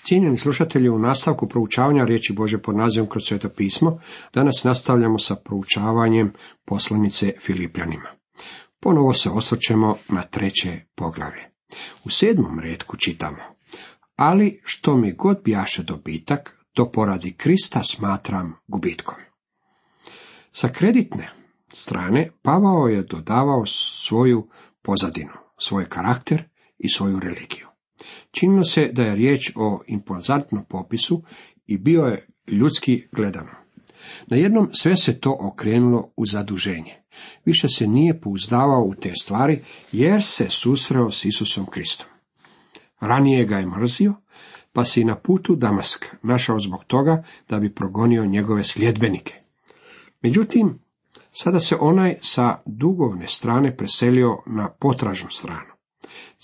Cijenjeni slušatelji, u nastavku proučavanja riječi Božje pod nazivom kroz Sveto pismo, danas nastavljamo sa proučavanjem poslanice Filipljanima. Ponovo se osvrćemo na 3. poglavlje. U 7. retku čitamo: ali što mi god bjaše dobitak, to poradi Krista smatram gubitkom. Sa kreditne strane Pavao je dodavao svoju pozadinu, svoj karakter i svoju religiju. Činilo se da je riječ o impozantnom popisu i bio je ljudski gledano. Najednom sve se to okrenulo u zaduženje. Više se nije pouzdavao u te stvari jer se susreo s Isusom Kristom. Ranije ga je mrzio, pa se i na putu Damask našao zbog toga da bi progonio njegove sljedbenike. Međutim, sada se onaj sa dugovne strane preselio na potražnu stranu.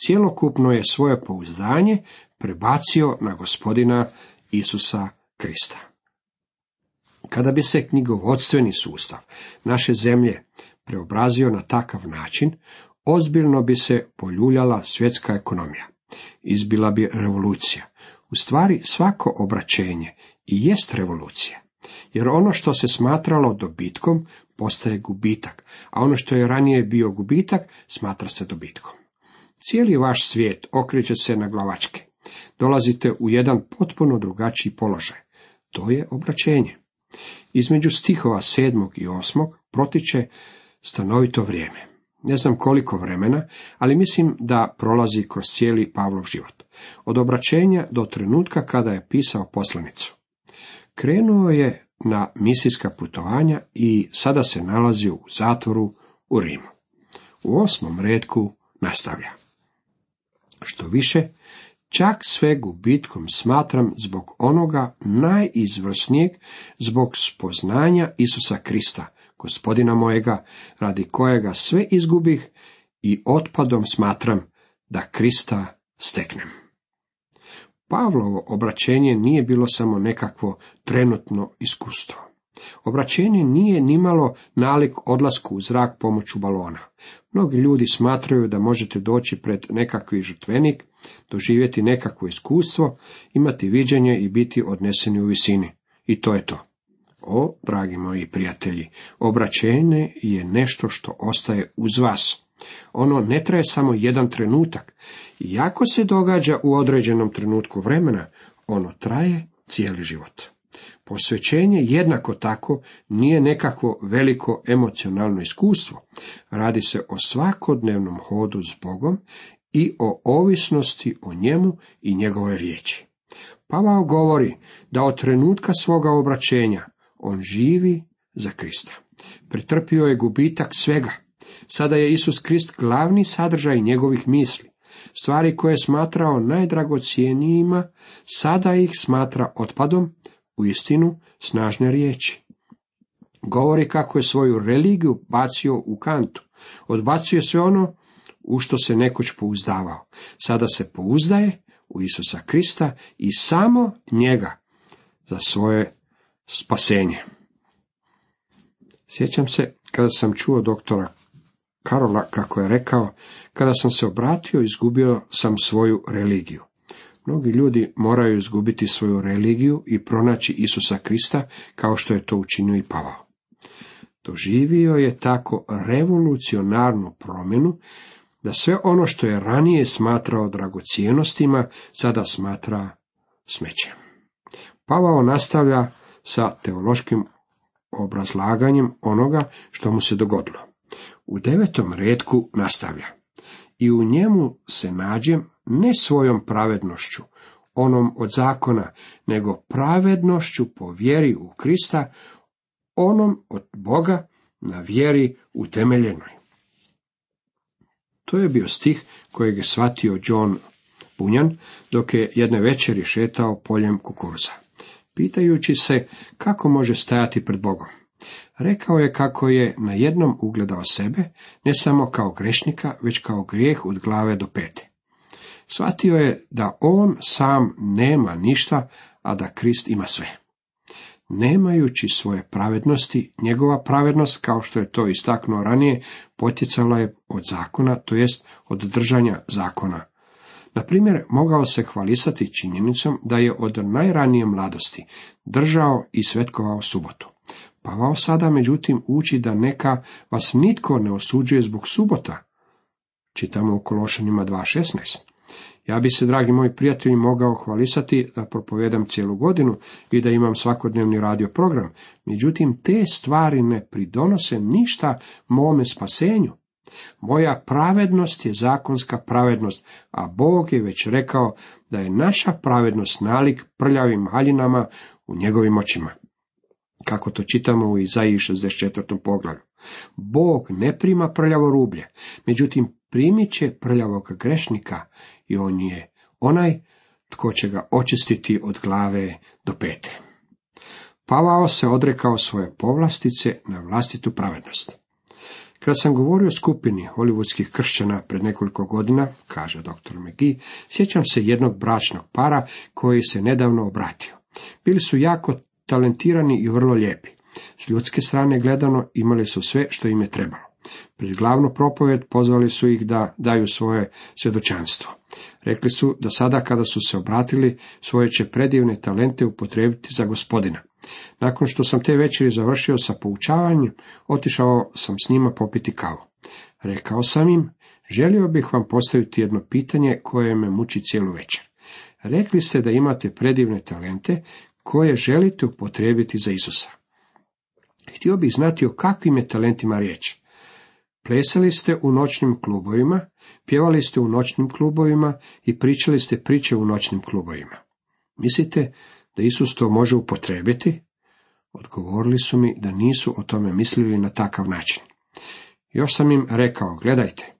Cjelokupno je svoje pouzdanje prebacio na Gospodina Isusa Krista. Kada bi se knjigovodstveni sustav naše zemlje preobrazio na takav način, ozbiljno bi se poljuljala svjetska ekonomija. Izbila bi revolucija. U stvari svako obraćenje i jest revolucija, jer ono što se smatralo dobitkom postaje gubitak, a ono što je ranije bio gubitak smatra se dobitkom. Cijeli vaš svijet okreće se na glavačke. Dolazite u jedan potpuno drugačiji položaj. To je obraćenje. Između stihova 7. i 8. protiče stanovito vrijeme. Ne znam koliko vremena, ali mislim da prolazi kroz cijeli Pavlov život. Od obraćenja do trenutka kada je pisao poslanicu. Krenuo je na misijska putovanja i sada se nalazi u zatvoru u Rimu. U 8. retku nastavlja: što više, čak sve gubitkom smatram zbog onoga najizvrsnijeg, zbog spoznanja Isusa Krista, Gospodina mojega, radi kojega sve izgubih i otpadom smatram da Krista steknem. Pavlovo obraćenje nije bilo samo nekakvo trenutno iskustvo. Obraćenje nije nimalo nalik odlasku u zrak pomoću balona. Mnogi ljudi smatraju da možete doći pred nekakvi žrtvenik, doživjeti nekakvo iskustvo, imati viđenje i biti odneseni u visini. I to je to. O, dragi moji prijatelji, obraćenje je nešto što ostaje uz vas. Ono ne traje samo jedan trenutak. Iako se događa u određenom trenutku vremena, ono traje cijeli život. Posvećenje jednako tako nije nekakvo veliko emocionalno iskustvo. Radi se o svakodnevnom hodu s Bogom i o ovisnosti o njemu i njegove riječi. Pavao govori da od trenutka svoga obraćenja on živi za Krista. Pretrpio je gubitak svega. Sada je Isus Krist glavni sadržaj njegovih misli. Stvari koje je smatrao najdragocjenijima, sada ih smatra otpadom, uistinu snažne riječi. Govori kako je svoju religiju bacio u kantu. Odbacuje sve ono u što se nekoć pouzdavao. Sada se pouzdaje u Isusa Krista i samo njega za svoje spasenje. Sjećam se kada sam čuo doktora Karola kako je rekao: kada sam se obratio, izgubio sam svoju religiju. Mnogi ljudi moraju izgubiti svoju religiju i pronaći Isusa Krista, kao što je to učinio i Pavao. Doživio je tako revolucionarnu promjenu, da sve ono što je ranije smatrao dragocjenostima, sada smatra smećem. Pavao nastavlja sa teološkim obrazlaganjem onoga što mu se dogodilo. U 9. retku nastavlja: i u njemu se nađem ne svojom pravednošću, onom od zakona, nego pravednošću po vjeri u Krista, onom od Boga na vjeri utemeljenoj. To je bio stih kojeg je shvatio John Bunyan dok je jedne večeri šetao poljem kukuruza, pitajući se kako može stajati pred Bogom. Rekao je kako je najednom ugledao sebe, ne samo kao grešnika, već kao grijeh od glave do pete. Shvatio je da on sam nema ništa, a da Krist ima sve. Nemajući svoje pravednosti, njegova pravednost, kao što je to istaknuo ranije, potjecala je od zakona, to jest od držanja zakona. Na primjer, mogao se hvalisati činjenicom da je od najranije mladosti držao i svetkovao subotu. Pavao sada, međutim, uči da neka vas nitko ne osuđuje zbog subota. Čitamo u Kološanima 2.16. Ja bi se, dragi moji prijatelji, mogao hvalisati da propovedam cijelu godinu i da imam svakodnevni radio program, međutim, te stvari ne pridonose ništa mome spasenju. Moja pravednost je zakonska pravednost, a Bog je već rekao da je naša pravednost nalik prljavim haljinama u njegovim očima. Kako to čitamo u Izaiji 64. poglavlju. Bog ne prima prljavo rublje, međutim primit će prljavog grešnika i on je onaj tko će ga očistiti od glave do pete. Pavao se odrekao svoje povlastice na vlastitu pravednost. Kada sam govorio o skupini hollywoodskih kršćana pred nekoliko godina, kaže dr. McGee, sjećam se jednog bračnog para koji se nedavno obratio. Bili su jako talentirani i vrlo lijepi. S ljudske strane gledano imali su sve što im je trebalo. Pred glavnu propovjed pozvali su ih da daju svoje svjedočanstvo. Rekli su da sada kada su se obratili, svoje će predivne talente upotrijebiti za Gospodina. Nakon što sam te večeri završio sa poučavanjem, otišao sam s njima popiti kavu. Rekao sam im, želio bih vam postaviti jedno pitanje koje me muči cijelu večer. Rekli ste da imate predivne talente koje želite upotrijebiti za Isusa. Htio bih znati o kakvim je talentima riječ. Plesali ste u noćnim klubovima, pjevali ste u noćnim klubovima i pričali ste priče u noćnim klubovima. Mislite da Isus to može upotrijebiti? Odgovorili su mi da nisu o tome mislili na takav način. Još sam im rekao, gledajte,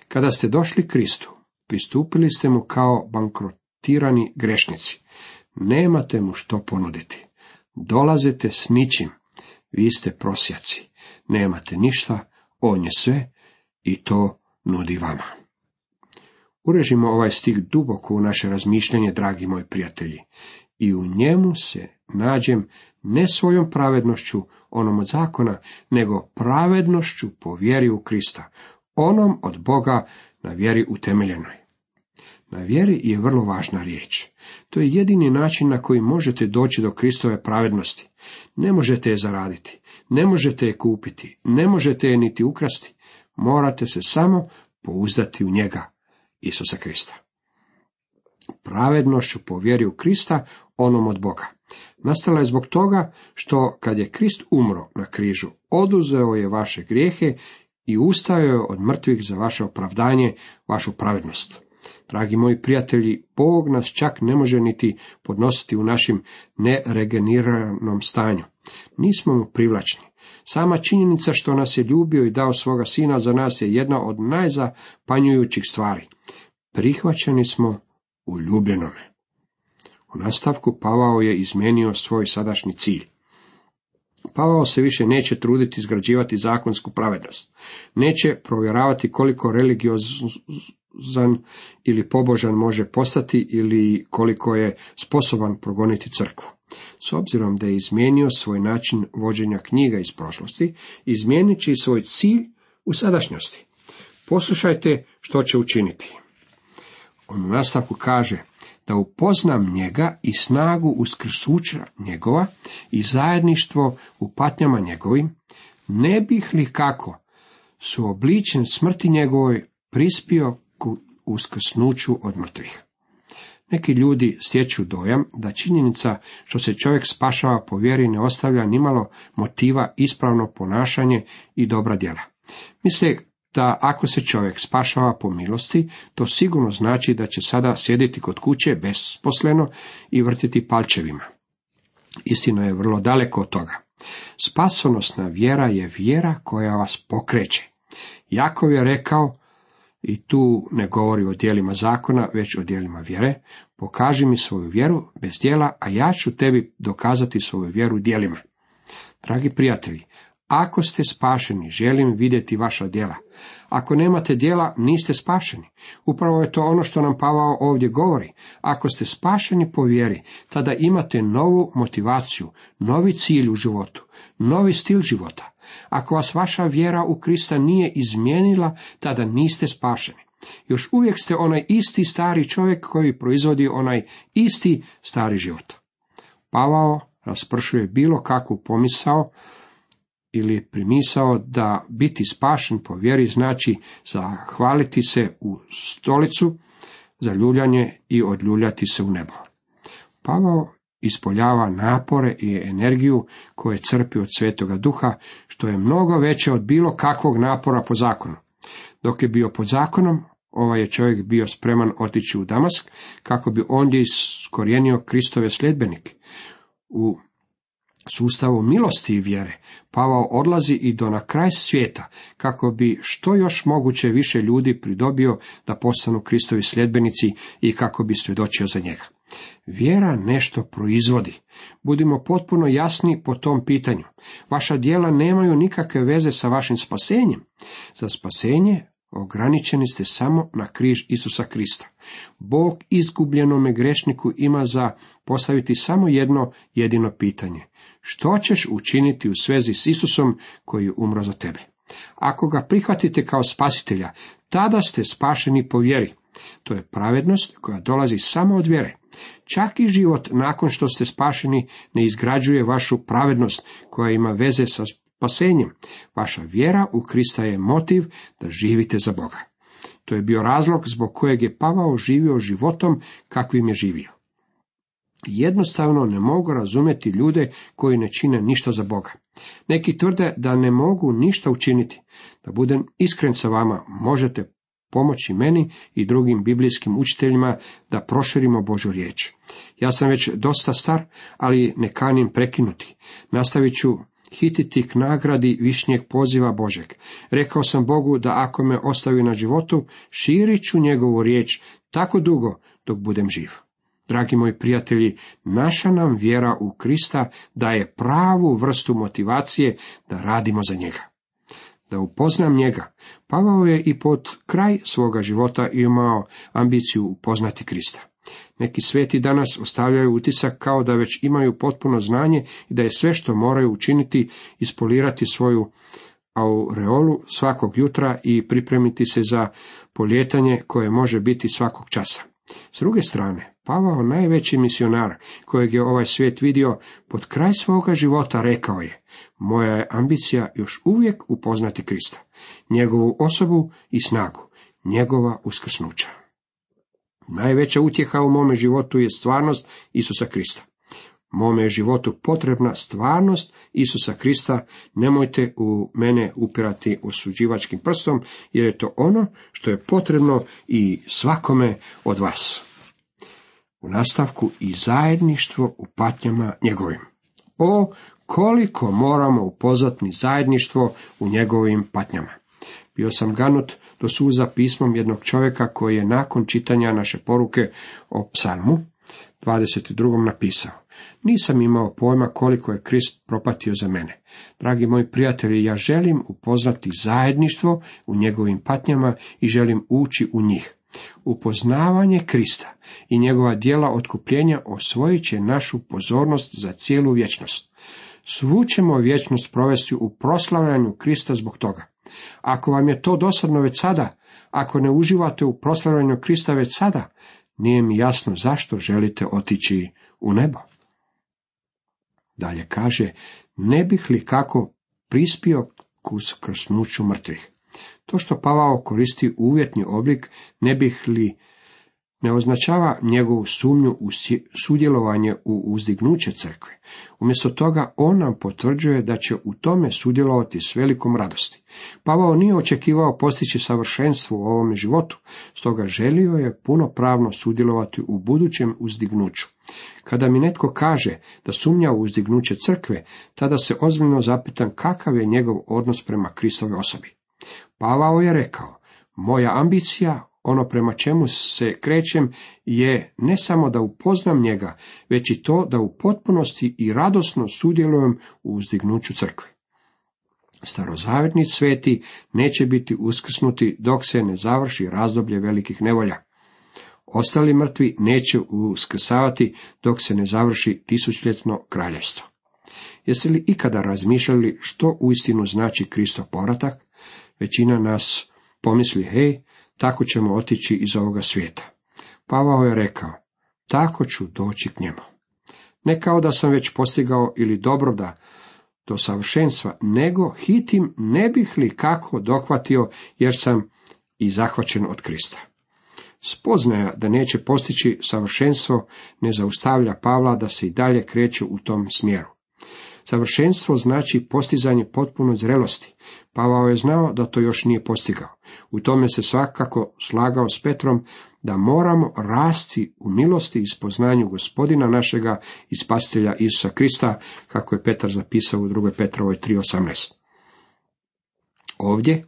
kada ste došli Kristu, pristupili ste mu kao bankrotirani grešnici. Nemate mu što ponuditi. Dolazite s ničim. Vi ste prosjaci. Nemate ništa, on je sve i to nudi vama. Urežimo ovaj stih duboko u naše razmišljanje, dragi moji prijatelji, i u njemu se nađem ne svojom pravednošću, onom od zakona, nego pravednošću po vjeri u Krista, onom od Boga na vjeri utemeljenoj. Na vjeri je vrlo važna riječ. To je jedini način na koji možete doći do Kristove pravednosti. Ne možete je zaraditi, ne možete je kupiti, ne možete je niti ukrasti. Morate se samo pouzdati u njega, Isusa Krista. Pravednošću po vjeri u Krista, onom od Boga. Nastala je zbog toga što kad je Krist umro na križu, oduzeo je vaše grijehe i ustao je od mrtvih za vaše opravdanje, vašu pravednost. Dragi moji prijatelji, Bog nas čak ne može niti podnositi u našim neregeniranom stanju. Nismo mu privlačni. Sama činjenica što nas je ljubio i dao svoga sina za nas je jedna od najzapanjujućih stvari. Prihvaćeni smo u ljubljenome. U nastavku Pavao je izmijenio svoj sadašnji cilj. Pavao se više neće truditi izgrađivati zakonsku pravednost. Neće provjeravati koliko religiozan ili pobožan može postati ili koliko je sposoban progoniti crkvu. S obzirom da je izmijenio svoj način vođenja knjiga iz prošlosti, izmijenit će i svoj cilj u sadašnjosti. Poslušajte što će učiniti. On u nastavku kaže da upoznam njega i snagu uskrsuća njegova i zajedništvo u patnjama njegovim, ne bih li kako suobličen smrti njegovoj prispio ku uskrsnuću od mrtvih. Neki ljudi stječu dojam da činjenica što se čovjek spašava po vjeri ne ostavlja nimalo motiva ispravno ponašanje i dobra djela. Misle da ako se čovjek spašava po milosti, to sigurno znači da će sada sjediti kod kuće besposleno i vrtiti palčevima. Istina je vrlo daleko od toga. Spasonosna vjera je vjera koja vas pokreće. Jakov je rekao, i tu ne govori o djelima zakona, već o djelima vjere, pokaži mi svoju vjeru bez djela, a ja ću tebi dokazati svoju vjeru djelima. Dragi prijatelji, ako ste spašeni, želim vidjeti vaša djela. Ako nemate djela, niste spašeni. Upravo je to ono što nam Pavao ovdje govori. Ako ste spašeni po vjeri, tada imate novu motivaciju, novi cilj u životu, novi stil života. Ako vas vaša vjera u Krista nije izmijenila, tada niste spašeni. Još uvijek ste onaj isti stari čovjek koji proizvodi onaj isti stari život. Pavao raspršuje bilo kakvu pomisao ili primisao da biti spašen po vjeri znači zahvaliti se u stolicu za ljuljanje i odljuljati se u nebo. Pavao ispoljava napore i energiju koje crpi od Svetoga Duha, što je mnogo veće od bilo kakvog napora po zakonu. Dok je bio pod zakonom, ovaj je čovjek bio spreman otići u Damask, kako bi ondje iskorijenio Kristove sljedbenike. U sustavu milosti i vjere Pavao odlazi i do na kraj svijeta, kako bi što još moguće više ljudi pridobio da postanu Kristovi sljedbenici i kako bi svjedočio za njega. Vjera nešto proizvodi. Budimo potpuno jasni po tom pitanju. Vaša djela nemaju nikakve veze sa vašim spasenjem. Za spasenje ograničeni ste samo na križ Isusa Krista. Bog izgubljenome grešniku ima za postaviti samo jedno jedino pitanje. Što ćeš učiniti u svezi s Isusom koji je umro za tebe? Ako ga prihvatite kao spasitelja, tada ste spašeni po vjeri. To je pravednost koja dolazi samo od vjere. Čak i život nakon što ste spašeni ne izgrađuje vašu pravednost koja ima veze sa spasenjem. Vaša vjera u Krista je motiv da živite za Boga. To je bio razlog zbog kojeg je Pavao živio životom kakvim je živio. Jednostavno ne mogu razumjeti ljude koji ne čine ništa za Boga. Neki tvrde da ne mogu ništa učiniti. Da budem iskren sa vama, možete pomoći meni i drugim biblijskim učiteljima da proširimo Božju riječ. Ja sam već dosta star, ali ne kanim prekinuti. Nastavit ću hititi k nagradi višnjeg poziva Božeg. Rekao sam Bogu da ako me ostavi na životu, širit ću njegovu riječ tako dugo dok budem živ. Dragi moji prijatelji, naša nam vjera u Krista daje pravu vrstu motivacije da radimo za njega. Da upoznam njega, Pavao je i pod kraj svoga života imao ambiciju upoznati Krista. Neki sveti danas ostavljaju utisak kao da već imaju potpuno znanje i da je sve što moraju učiniti ispolirati svoju aureolu svakog jutra i pripremiti se za polijetanje koje može biti svakog časa. S druge strane, Pavao, najveći misionar kojeg je ovaj svijet vidio, pod kraj svoga života rekao je: moja je ambicija još uvijek upoznati Krista, njegovu osobu i snagu, njegova uskrsnuća. Najveća utjeha u mome životu je stvarnost Isusa Krista. Mome je životu potrebna stvarnost Isusa Krista, nemojte u mene upirati osuđivačkim prstom, jer je to ono što je potrebno i svakome od vas. U nastavku i zajedništvo u patnjama njegovim. O, koliko moramo upoznati zajedništvo u njegovim patnjama. Bio sam ganut do suza pismom jednog čovjeka koji je nakon čitanja naše poruke o psalmu 22. napisao: nisam imao pojma koliko je Krist propatio za mene. Dragi moji prijatelji, ja želim upoznati zajedništvo u njegovim patnjama i želim ući u njih. Upoznavanje Krista i njegova djela otkupljenja osvojit će našu pozornost za cijelu vječnost. Svu ćemo vječnost provesti u proslavljanju Krista zbog toga. Ako vam je to dosadno već sada, ako ne uživate u proslavljanju Krista već sada, nije mi jasno zašto želite otići u nebo. Dalje kaže: ne bih li kako prispio k uskrsnuću mrtvih. To što Pavao koristi uvjetni oblik ne bih li ne označava njegovu sumnju u sudjelovanje u uzdignuće crkve. Umjesto toga on nam potvrđuje da će u tome sudjelovati s velikom radosti. Pavao nije očekivao postići savršenstvo u ovome životu, stoga želio je punopravno sudjelovati u budućem uzdignuću. Kada mi netko kaže da sumnja u uzdignuće crkve, tada se ozbiljno zapitam kakav je njegov odnos prema Kristovoj osobi. Pavao je rekao: moja ambicija, ono prema čemu se krećem, je ne samo da upoznam njega, već i to da u potpunosti i radosno sudjelujem u uzdignuću crkve. Starozavjetni sveti neće biti uskrsnuti dok se ne završi razdoblje velikih nevolja. Ostali mrtvi neće uskrsavati dok se ne završi tisućljetno kraljevstvo. Jeste li ikada razmišljali što uistinu znači Kristov povratak? Većina nas pomisli: hej, tako ćemo otići iz ovoga svijeta. Pavao je rekao, tako ću doći k njemu. Ne kao da sam već postigao ili dobro da do savršenstva, nego hitim ne bih li kako dohvatio, jer sam i zahvaćen od Krista. Spoznaja da neće postići savršenstvo ne zaustavlja Pavla da se i dalje kreće u tom smjeru. Savršenstvo znači postizanje potpune zrelosti. Pavao je znao da to još nije postigao. U tome se svakako slagao s Petrom da moramo rasti u milosti i spoznanju Gospodina našega i Spasitelja Isusa Krista, kako je Petar zapisao u 2. Petrovoj 3:18. Ovdje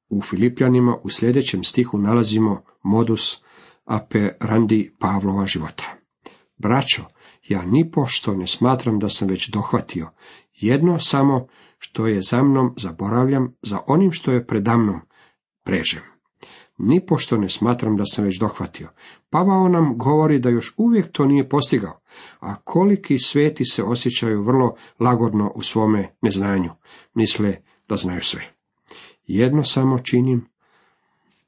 u Filipljanima u sljedećem stihu nalazimo modus operandi Pavlova života. Braćo, ja nipošto ne smatram da sam već dohvatio, jedno samo što je za mnom zaboravljam, za onim što je predamnom prežem. Nipošto ne smatram da sam već dohvatio. Pavao nam govori da još uvijek to nije postigao, a koliki sveti se osjećaju vrlo lagodno u svome neznanju, misle da znaju sve. Jedno samo činim,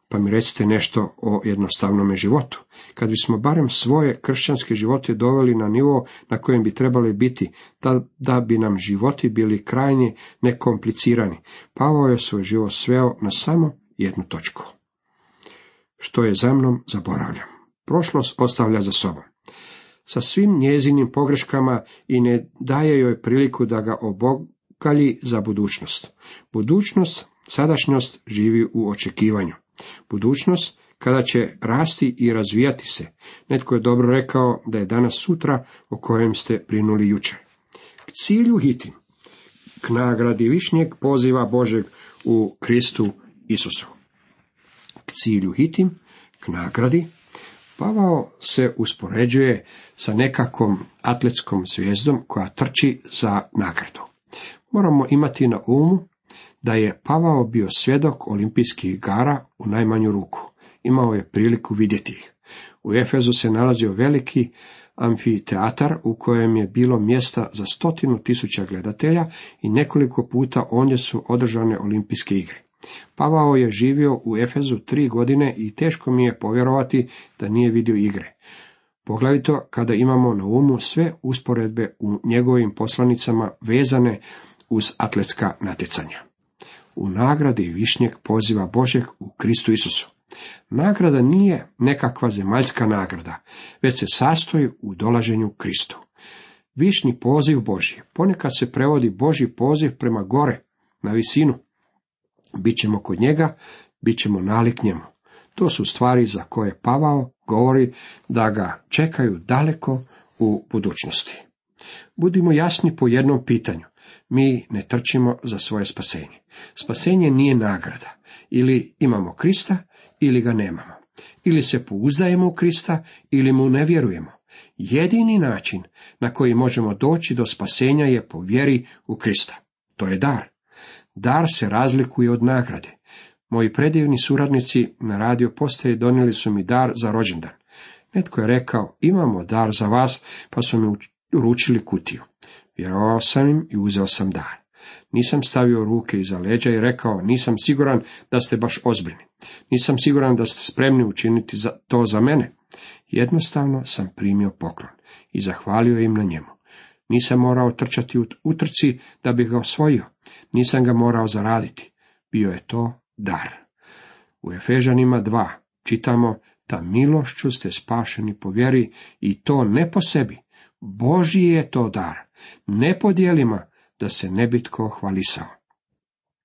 pa mi recite nešto o jednostavnome životu. Kad bismo barem svoje kršćanske živote doveli na nivo na kojem bi trebali biti, da bi nam životi bili krajnje nekomplicirani, Pavao je svoj život sveo na samo jednu točku. Što je za mnom, zaboravljam. Prošlost ostavlja za sobom. Sa svim njezinim pogreškama i ne daje joj priliku da ga obogalji za budućnost. Budućnost, sadašnjost živi u očekivanju. Budućnost kada će rasti i razvijati se. Netko je dobro rekao da je danas sutra o kojem ste brinuli jučer. K cilju hitim, k nagradi višnjeg poziva Božeg u Kristu Isusu. K cilju hitim, k nagradi. Pavao se uspoređuje sa nekakvom atletskom zvijezdom koja trči za nagradu. Moramo imati na umu da je Pavao bio svjedok olimpijskih igara u najmanju ruku. Imao je priliku vidjeti ih. U Efezu se nalazio veliki amfiteatar u kojem je bilo mjesta za 100.000 gledatelja i nekoliko puta ondje su održane olimpijske igre. Pavao je živio u Efezu 3 godine i teško mi je povjerovati da nije vidio igre. Poglavito kada imamo na umu sve usporedbe u njegovim poslanicama vezane uz atletska natjecanja. U nagradi višnjeg poziva Božeg u Kristu Isusu. Nagrada nije nekakva zemaljska nagrada, već se sastoji u dolaženju Kristu. Višnji poziv Božji, ponekad se prevodi Božji poziv prema gore, na visinu. Bićemo kod njega, bit ćemo nalik njemu. To su stvari za koje Pavao govori da ga čekaju daleko u budućnosti. Budimo jasni po jednom pitanju. Mi ne trčimo za svoje spasenje. Spasenje nije nagrada. Ili imamo Krista, ili ga nemamo. Ili se pouzdajemo u Krista, ili mu ne vjerujemo. Jedini način na koji možemo doći do spasenja je po vjeri u Krista. To je dar. Dar se razlikuje od nagrade. Moji predivni suradnici na radio postaji donijeli su mi dar za rođendan. Netko je rekao, imamo dar za vas, pa su mi uručili kutiju. Vjerovao sam im i uzeo sam dar. Nisam stavio ruke iza leđa i rekao, nisam siguran da ste baš ozbiljni. Nisam siguran da ste spremni učiniti to za mene. Jednostavno sam primio poklon i zahvalio im na njemu. Nisam morao trčati u utrci da bih ga osvojio. Nisam ga morao zaraditi. Bio je to dar. U Efežanima 2 čitamo, ta milošću ste spašeni po vjeri i to ne po sebi. Božji je to dar, ne po djelima, da se ne bi tko hvalisao.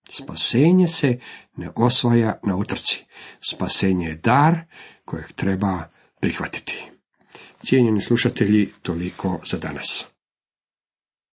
Spasenje se ne osvaja na utrci. Spasenje je dar kojeg treba prihvatiti. Cijenjeni slušatelji, toliko za danas.